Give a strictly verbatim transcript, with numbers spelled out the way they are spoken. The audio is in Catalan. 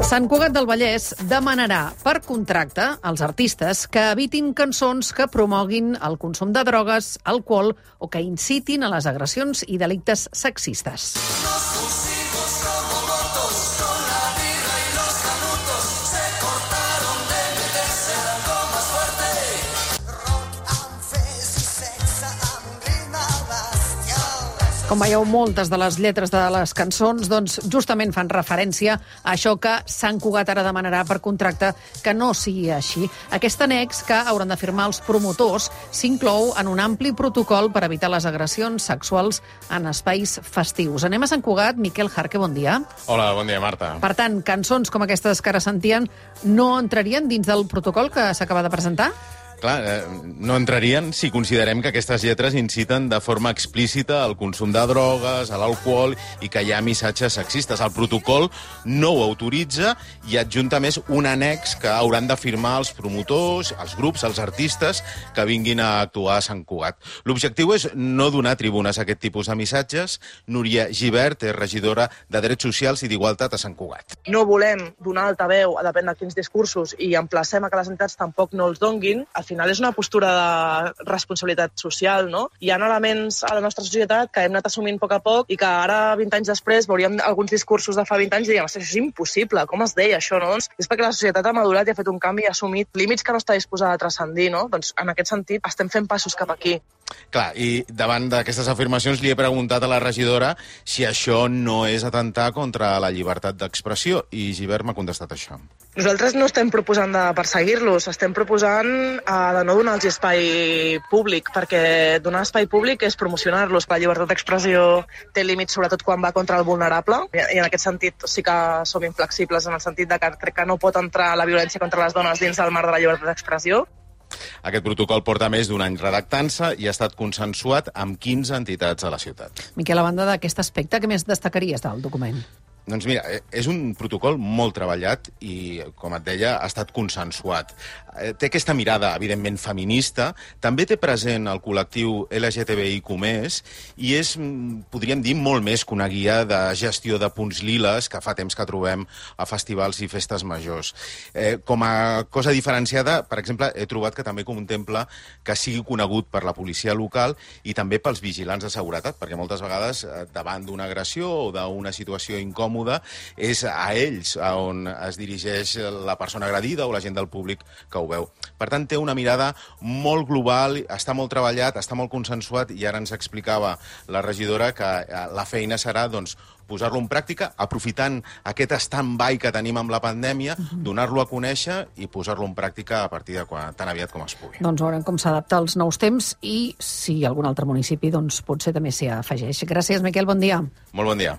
Sant Cugat del Vallès demanarà per contracte als artistes que evitin cançons que promoguin el consum de drogues, alcohol o que incitin a les agressions i delictes sexistes. Com veieu, moltes de les lletres de les cançons doncs, justament fan referència a això que Sant Cugat ara demanarà per contracte que no sigui així. Aquest annex que hauran de firmar els promotors s'inclou en un ampli protocol per evitar les agressions sexuals en espais festius. Anem a Sant Cugat. Miquel Jarque, bon dia. Hola, bon dia, Marta. Per tant, cançons com aquestes que ara sentien no entrarien dins del protocol que s'acaba de presentar? Clar, eh, no entrarien si considerem que aquestes lletres inciten de forma explícita al consum de drogues, a l'alcohol i que hi ha missatges sexistes. El protocol no ho autoritza i adjunta més un annex que hauran de firmar els promotors, els grups, els artistes que vinguin a actuar a Sant Cugat. L'objectiu és no donar tribunes a aquest tipus de missatges. Núria Gibert és regidora de Drets Socials i d'Igualtat a Sant Cugat. No volem donar altaveu a depèn de quins discursos i emplacem a que les entitats tampoc no els donguin. Al final és una postura de responsabilitat social, no? Hi ha elements a la nostra societat que hem anat assumint a poc a poc i que ara, vint anys després, veuríem alguns discursos de fa vint anys i diríem, això és impossible, com es deia això, no? Doncs és perquè la societat ha madurat i ha fet un canvi i ha assumit límits que no està disposada a transcendir, no? Doncs en aquest sentit estem fent passos cap aquí. Clar, i davant d'aquestes afirmacions li he preguntat a la regidora si això no és atentar contra la llibertat d'expressió i Gibert m'ha contestat això. Nosaltres no estem proposant de perseguir-los, estem proposant eh, de no donar-los espai públic, perquè donar espai públic és promocionar-los. La llibertat d'expressió té límits, sobretot quan va contra el vulnerable, i en aquest sentit sí que som inflexibles, en el sentit de que crec que no pot entrar la violència contra les dones dins del marc de la llibertat d'expressió. Aquest protocol porta més d'un any redactant-se i ha estat consensuat amb quinze entitats a la ciutat. Miquel, a banda d'aquest aspecte, què més destacaries del document? Doncs mira, és un protocol molt treballat i, com et deia, ha estat consensuat. Té aquesta mirada, evidentment, feminista, també té present el col·lectiu L G T B I Q més, i és, podríem dir, molt més que una guia de gestió de punts liles que fa temps que trobem a festivals i festes majors. Eh, com a cosa diferenciada, per exemple, he trobat que també contempla que sigui conegut per la policia local i també pels vigilants de seguretat, perquè moltes vegades, davant d'una agressió o d'una situació incòmoda, és a ells on es dirigeix la persona agredida o la gent del públic que ho veu. Per tant, té una mirada molt global, està molt treballat, està molt consensuat i ara ens explicava la regidora que la feina serà doncs, posar-lo en pràctica, aprofitant aquest stand-by que tenim amb la pandèmia, uh-huh. donar-lo a conèixer i posar-lo en pràctica a partir de quan, tan aviat com es pugui. Doncs veurem com s'adapta als nous temps i si algun altre municipi doncs, potser també s'hi afegeix. Gràcies, Miquel, bon dia. Molt bon dia.